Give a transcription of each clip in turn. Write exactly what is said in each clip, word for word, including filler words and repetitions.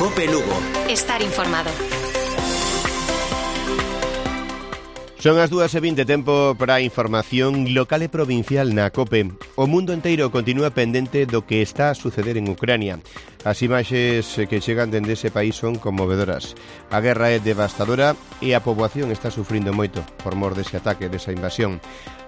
Cope Lugo. Estar informado. Son as dúas e vinte, tempo para a información local e provincial na COPE. O mundo enteiro continúa pendente do que está a suceder en Ucrania. As imaxes que chegan dende ese país son conmovedoras. A guerra é devastadora e a poboación está sufrindo moito por mor dese ataque, desa invasión.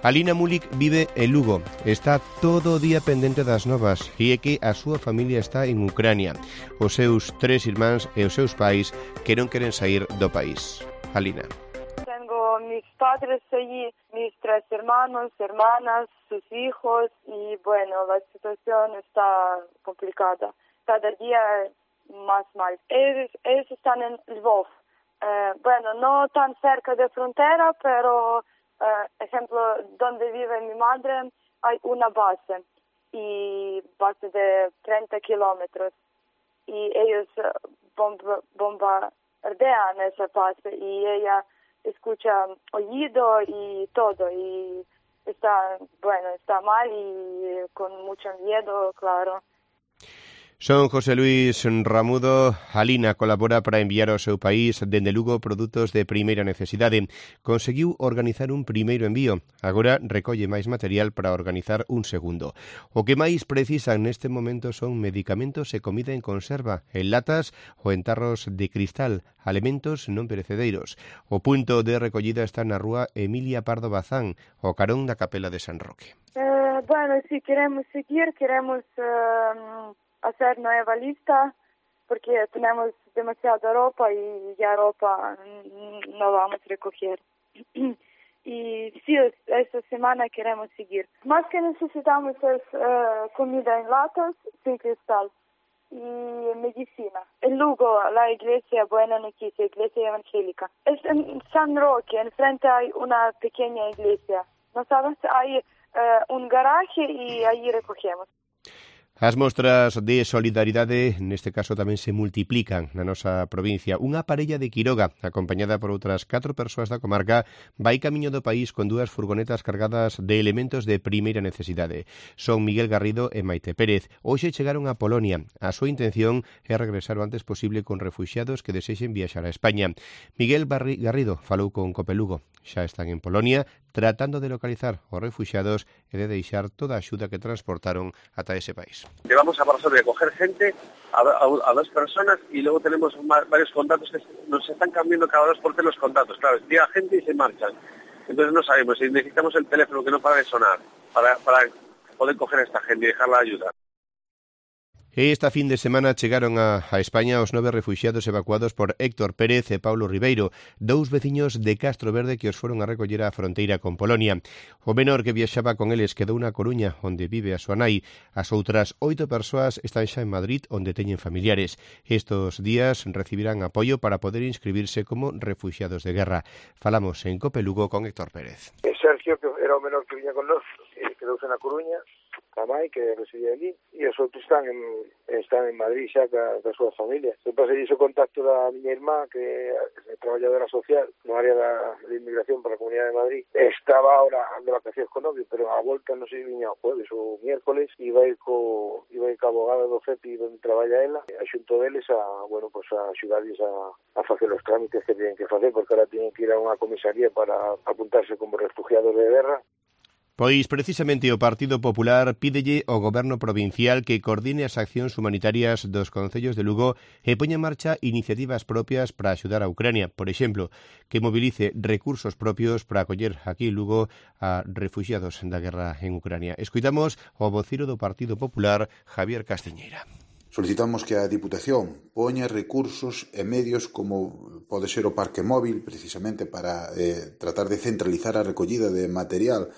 Alina Mulik vive en Lugo. Está todo o día pendente das novas e é que a súa familia está en Ucrania. Os seus tres irmáns e os seus pais que non queren sair do país. Alina. Tengo mis padres allí, mis tres hermanos, hermanas, sus hijos y bueno, la situación está complicada. Cada día más mal. Ellos, ellos están en Lvov. Eh, bueno, no tan cerca de frontera, pero, eh, ejemplo, donde vive mi madre hay una base, y base de treinta kilómetros. Y ellos bomba, bombardean esa base y ella escucha oído y todo, y está, bueno, está mal y con mucho miedo, claro. Son José Luis Ramudo. Alina colabora para enviar ao seu país dende Lugo produtos de primeira necesidade. Conseguiu organizar un primeiro envío. Agora recolle máis material para organizar un segundo. O que máis precisan neste momento son medicamentos e comida en conserva, en latas ou en tarros de cristal, alimentos non perecedeiros. O punto de recollida está na rúa Emilia Pardo Bazán, ao carón da Capela de San Roque. Eh, bueno, si queremos seguir, queremos Uh... hacer nueva lista, porque tenemos demasiada ropa y ya ropa no vamos a recoger. Y sí, esta semana queremos seguir. Más que necesitamos es uh, comida en latas, sin cristal, y medicina. En Lugo, la iglesia Buena Noticia, iglesia evangélica. Es en San Roque, enfrente hay una pequeña iglesia. ¿No sabes? Hay uh, un garaje y ahí recogemos. As mostras de solidaridade neste caso tamén se multiplican na nosa provincia. Unha parella de Quiroga, acompañada por outras catro persoas da comarca, vai camiño do país con dúas furgonetas cargadas de elementos de primeira necesidade. Son Miguel Garrido e Maite Pérez. Hoxe chegaron a Polonia. A súa intención é regresar o antes posible con refuxiados que desexen viaxar a España. Miguel Barri Garrido falou con Cope Lugo. Xa están en Polonia tratando de localizar os refuxiados e de deixar toda a axuda que transportaron ata ese país. Llevamos a Varsovia a coger gente, a, a, a dos personas, y luego tenemos más, varios contactos que nos están cambiando cada dos por tres los contactos. Claro, llega gente y se marchan. Entonces no sabemos, si necesitamos el teléfono que no para de sonar para, para poder coger a esta gente y dejarla ayudar. Esta fin de semana chegaron a, a España os nove refuxiados evacuados por Héctor Pérez e Paulo Ribeiro, dous veciños de Castro Verde que os foron a recoller á fronteira con Polonia. O menor que viaxaba con eles quedou na Coruña, onde vive a súa nai. As outras oito persoas están xa en Madrid, onde teñen familiares. Estos días recibirán apoio para poder inscribirse como refuxiados de guerra. Falamos en Cope Lugo con Héctor Pérez. Sergio, que era o menor que viña con nós, quedouse na Coruña, a mai que residía ali, e os outros están en, están en Madrid xa ca, ca súa familia. Se pasei o contacto da miña irmá, que é traballadora social no área da, de inmigración para a Comunidade de Madrid. Estaba ahora de vacacións con novio, pero a volta non sei viña o jueves ou miércoles, iba a ir co, iba a ir ca abogada do F E P I onde traballa ela, a xunto deles a, bueno, pues a axudarles a, a facer os trámites que tienen que facer, porque ahora tienen que ir a unha comisaría para apuntarse como refugiados de guerra. Pois precisamente o Partido Popular pídelle ao Goberno provincial que coordine as accións humanitarias dos concellos de Lugo e poña en marcha iniciativas propias para axudar a Ucrania. Por exemplo, que movilice recursos propios para acoller aquí en Lugo a refugiados da guerra en Ucrania. Escoitamos ao vociro do Partido Popular, Javier Castiñeira. Solicitamos que a Diputación poña recursos e medios como pode ser o parque móvil, precisamente para eh, tratar de centralizar a recollida de material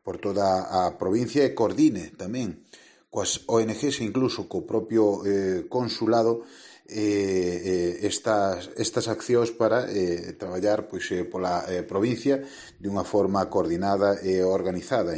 por toda a provincia e coordine tamén coas O N Ges e incluso co propio eh, consulado eh, eh, estas, estas accións para eh, traballar pois, eh, pola eh, provincia de unha forma coordinada e organizada.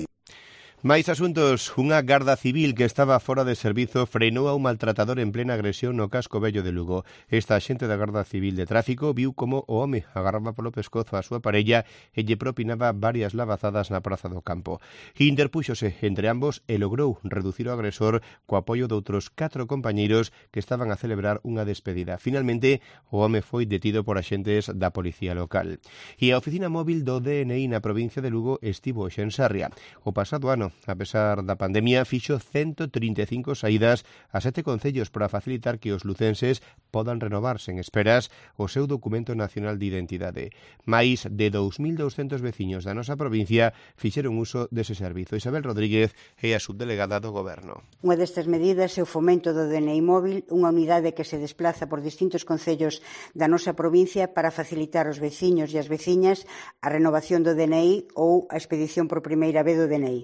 Máis asuntos. Unha garda civil que estaba fora de servizo frenou a un maltratador en plena agresión no casco vello de Lugo. Esta axente da Garda Civil de Tráfico viu como o home agarraba polo pescozo a súa parella e lle propinaba varias lavazadas na Praza do Campo. Interpúxose entre ambos e logrou reducir o agresor co apoio de outros catro compañeiros que estaban a celebrar unha despedida. Finalmente, o home foi detido por axentes da Policía Local. E a oficina móvil do D N I na provincia de Lugo estivo hoxe en Sarria. O pasado ano, a pesar da pandemia, fixo ciento trinta e cinco saídas a sete concellos para facilitar que os lucenses podan renovarse en esperas o seu documento nacional de identidade. Mais de dous mil douscentos veciños da nosa provincia fixeron uso dese servizo. Isabel Rodríguez é a subdelegada do Goberno. Unha destas medidas é o fomento do D N I móvil, unha unidade que se desplaza por distintos concellos da nosa provincia para facilitar aos veciños e as veciñas a renovación do D N I ou a expedición por primeira vez do D N I.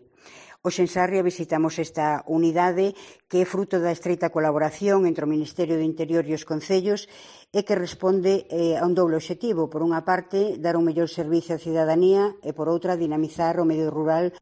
Hoxe en Sarria visitamos esta unidade que é fruto da estreita colaboración entre o Ministerio do Interior e os concellos e que responde eh, a un doble obxectivo. Por unha parte, dar un mellor servicio á cidadanía e, por outra, dinamizar o medio rural.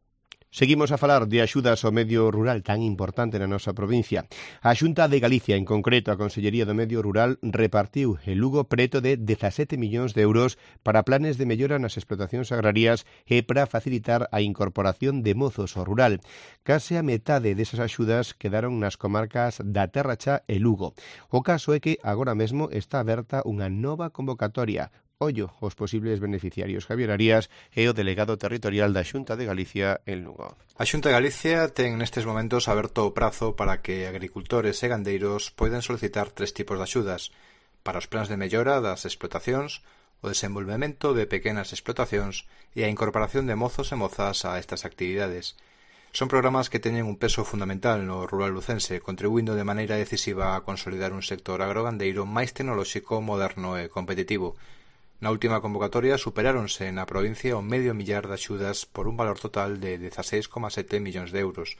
Seguimos a falar de axudas ao medio rural tan importante na nosa provincia. A Xunta de Galicia, en concreto a Consellería do Medio Rural, repartiu en Lugo preto de dezasete millóns de euros para planes de mellora nas explotacións agrarias e para facilitar a incorporación de mozos ao rural. Case a metade desas axudas quedaron nas comarcas da Terra Cha e Lugo. O caso é que agora mesmo está aberta unha nova convocatoria. Ollo os posibles beneficiarios. Javier Arias é o delegado territorial da Xunta de Galicia en Lugo. A Xunta de Galicia ten nestes momentos aberto o prazo para que agricultores e gandeiros poidan solicitar tres tipos de axudas: para os plans de mellora das explotacións, o desenvolvemento de pequenas explotacións e a incorporación de mozos e mozas a estas actividades. Son programas que teñen un peso fundamental no rural lucense, contribuindo de maneira decisiva a consolidar un sector agrogandeiro máis tecnolóxico, moderno e competitivo. Na última convocatoria superáronse na provincia o medio millar de axudas por un valor total de dezaseis coma sete millóns de euros.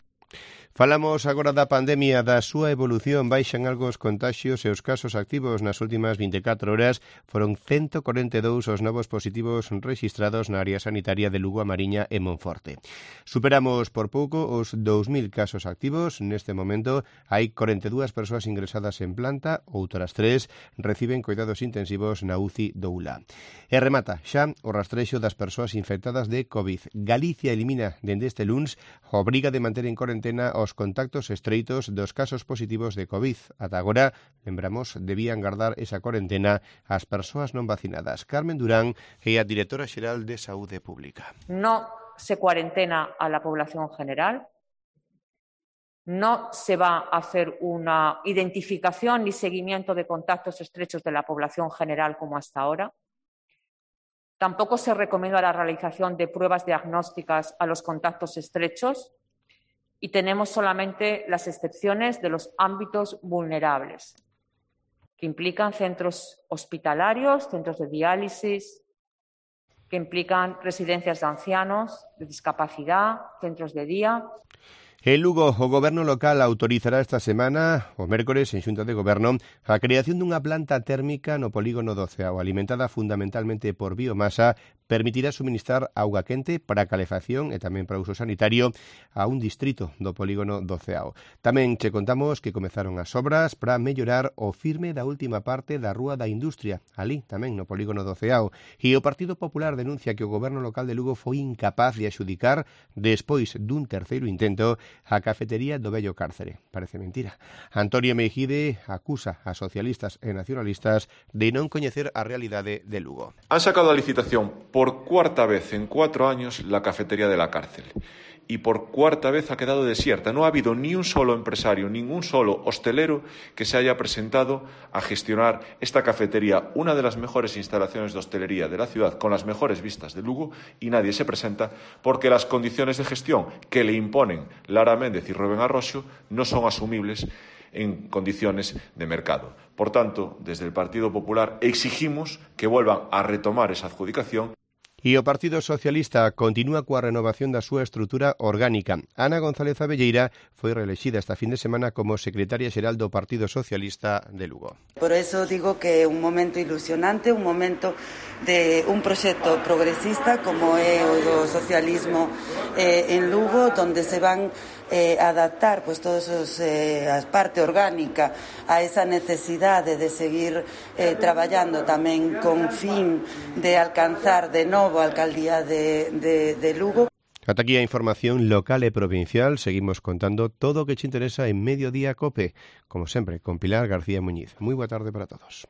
Falamos agora da pandemia, da súa evolución. Baixan algo os contaxios e os casos activos. Nas últimas vinte e catro horas foron ciento corenta e dous os novos positivos rexistrados na área sanitaria de Lugo, A Mariña e Monforte. Superamos por pouco os dous mil casos activos. Neste momento hai corenta e dúas persoas ingresadas en planta, outras tres reciben cuidados intensivos na U C I do U L A. E remata xa o rastrexo das persoas infectadas de COVID. Galicia elimina dende este luns a obriga de manter en cuarentena os contactos estreitos dos casos positivos de COVID. Ata agora, lembramos, debían guardar esa cuarentena as persoas non vacinadas. Carmen Durán é a directora xeral de Saúde Pública. No se cuarentena a la población general, no se va a hacer una identificación ni seguimiento de contactos estrechos de la población general como hasta ahora. Tampoco se recomienda la realización de pruebas diagnósticas a los contactos estrechos. Y tenemos solamente las excepciones de los ámbitos vulnerables, que implican centros hospitalarios, centros de diálisis, que implican residencias de ancianos, de discapacidad, centros de día. En Lugo, o Goberno local autorizará esta semana, o mércores, en Xunta de Goberno, a creación dunha planta térmica no polígono do Ceao, alimentada fundamentalmente por biomasa, permitirá suministrar auga quente para calefacción e tamén para uso sanitario a un distrito do polígono do Ceao. Tamén che contamos que comezaron as obras para mellorar o firme da última parte da Rúa da Industria, ali tamén no polígono do Ceao, e o Partido Popular denuncia que o Goberno local de Lugo foi incapaz de axudicar, despois dun terceiro intento, a cafetería do vello cárcere. Parece mentira. Antonio Mejide acusa a socialistas e nacionalistas de non coñecer a realidade de Lugo. Han sacado a licitación por cuarta vez en cuatro años la cafetería de la cárcel. Y por cuarta vez ha quedado desierta. No ha habido ni un solo empresario, ningún solo hostelero que se haya presentado a gestionar esta cafetería, una de las mejores instalaciones de hostelería de la ciudad, con las mejores vistas de Lugo, y nadie se presenta porque las condiciones de gestión que le imponen Lara Méndez y Rubén Arroxo no son asumibles en condiciones de mercado. Por tanto, desde el Partido Popular exigimos que vuelvan a retomar esa adjudicación. E o Partido Socialista continúa coa renovación da súa estrutura orgánica. Ana González Abelleira foi reelexida esta fin de semana como secretaria xeral do Partido Socialista de Lugo. Por eso digo que é un momento ilusionante, un momento de un proxecto progresista como é o do socialismo eh, en Lugo, donde se van eh, adaptar pues, todos os, eh, a parte orgánica a esa necesidade de seguir eh, traballando tamén con fin de alcanzar de novo a alcaldía de, de, de Lugo. Ata aquí a información local e provincial. Seguimos contando todo o que te interesa en Mediodía Cope, como sempre, con Pilar García Muñiz. Moi boa tarde para todos.